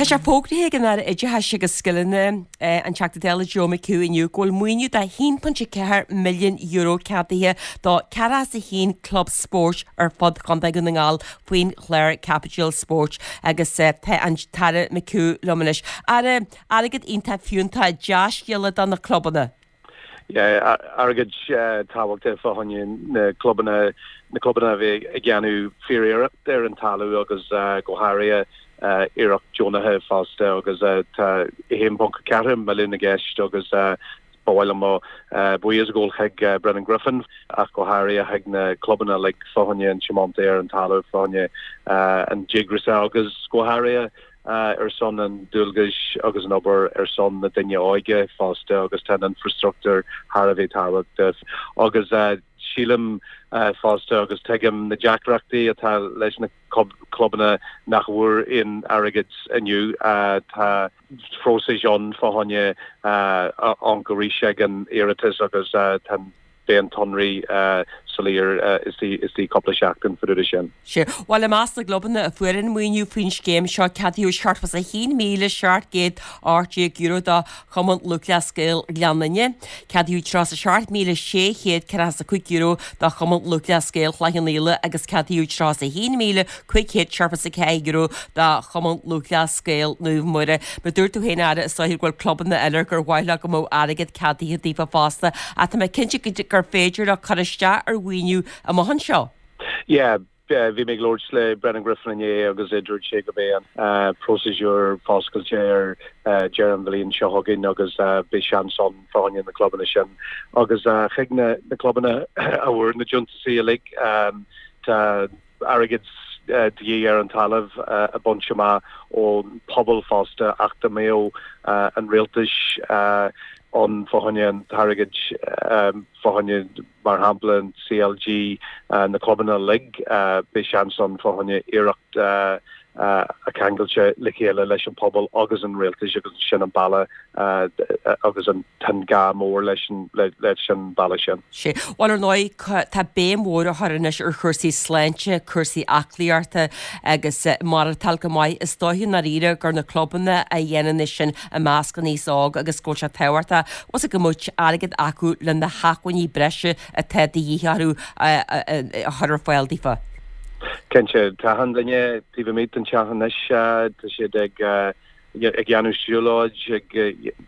Tá sé fógraithe ag an Aire Oideachais agus Scileanna, an Teachta Dála Joe McHugh inniu go bhfuil maoiniú de €1.4 milliún ceadaithe do 41 club spóirt ar fud Chontae Dhún na nGall faoin chlár Caipitil Spóirt agus tá an tAire McHugh liom anois. Aire, airgead iontach fiúntach, dea-scéala do na clubanna. Airgead tábhachtach fá choinne na clubanna, na clubanna a bhí ag déanamh fíor-iarracht ar an talamh agus go háirithe iarracht deonaithe fosta agus tá 1.4 milliún i gceist agus ba mhaith liom mo bhuíochas a ghabháil chuig Brendan Griffin ach go háirithe chuig na clubanna uilig fá choinne an tiomantas ar an talamh fá choinne an díograis agus go háirithe ar son an dualgais agus an obair ar son na daoine óige fosta agus tá an infrastruchtúr thar a bheith tábhachtach agus sílim fosta agus tuigim na deacrachtaí atá leis na clubanna nach bhfuair aon airgead inniu. Tá próiseas ann fá choinne amharc arís ag an iarratas agus tá an Beidh an tsonraí soiléir istigh cúpla seachtain fá dtaobh de sin. Sea. Bhuel, i measc na gclubanna a fuair an maoiniú faoin scéim seo, ceadaíodh €71,718 do Chumann Lúthchleas Gael Ghleann Fhinne, ceadaíodh €37,645 do Chumann Lúthchleas Gael Chloich Cheann Fhaola agus ceadaíodh €31,574 do Chumann Lúthchleas Gael Naomh Muire. Mar dúirt tú féin, a Aire, is dóiche go bhfuil clubanna eile gur mhaith leo go mbeadh airgead ceadaithe daofa fosta ach tá mé cinnte gur féidir leo cur isteach ar mhaoiniú amach anseo. Yeah, bhí mé ag labhairt le Brendan Griffin inné agus dúirt sé go mbeidh an próiseas foscailte ar deireadh an bhliain seo chugainn agus beidh seans ann fá choinne na clubanna sin agus chuig na clubanna a bhfuair na deontasaí uilig tá airgead de dhíth ar an talamh a bhaint amach ón pobal fosta ach dá mbeadh an rialtais ann fá choinne an t-airgead fá choinne mar shampla an CLG na clubanna uilig beidh seans ann fá choinne iarracht a ceangailte le chéile leis an pobal agus an rialtais agus sin an bealach agus an tá an gá mór leis an leis an bealach sin. Sea. Bhuel, ar ndóigh, tá béim mhór á chur anois ar chúrsaí sláinte, cúrsaí aclaíochta agus maireachtáil go maith. Is dóiche i ndáiríre gur na clubanna a dhéanann é sin i measc an aos óg agus go bhfuil sé tábhachtach fós go mbeadh airgead acu le na hacmhainní breise atá de dhíth orthu a chur ar fáil daofa. Cinnte, tá achan duine taobh amuigh den teach anois, tá siad ag ag dhéanamh siúlóid, ag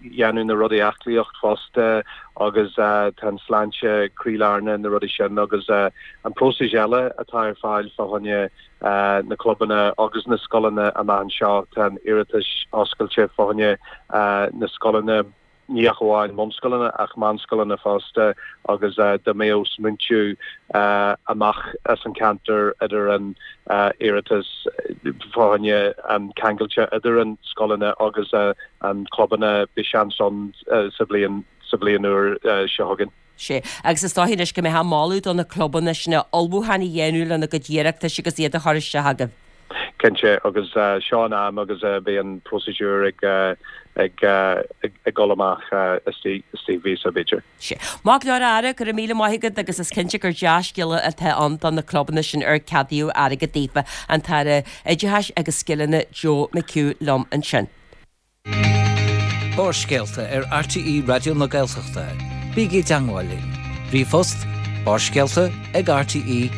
dhéanamh na rudaí aclaíocht fosta agus tá an sláinte croílár na rudaí sin agus an próiseas eile atá ar fáil fá choinne na clubanna agus na scoileanna amach anseo, tá an iarratas oscailte fá choinne na scoileanna. ní ach amháin bunscoileanna ach meánscoileanna fosta agus dá mbeadh smaointiú amach as an ceantar idir an iarratas fá choinne an ceangailte idir an scoileanna agus an clubanna beidh seans ann sa bhliain sa bhliain úr seo chugainn. Sea, agus is dóiche anois go mbeifeá ag moladh do na clubanna sin ullmhúchán a dhéanamh lena gcuid iarratais agus iad a chur isteach agaibh. Cinnte, agus seo an am agus beidh an próiseas ag ag ag dul amach istigh mhíosa b'fhéidir. Sea. Maith go leor a Aire, go raibh míle maith agat agus is cinnte gur dea-scéala atá ann do na clubanna sin ar ceadaíodh airgead daofa. An tAire Oideachais agus Scileanna Joe McHugh liom ansin. Barrscéalta ar RTÉ Raidió na Gaeltachta. Bígí i dteangmháil linn. Ríomhphost, barrscéalta ag rte.ie.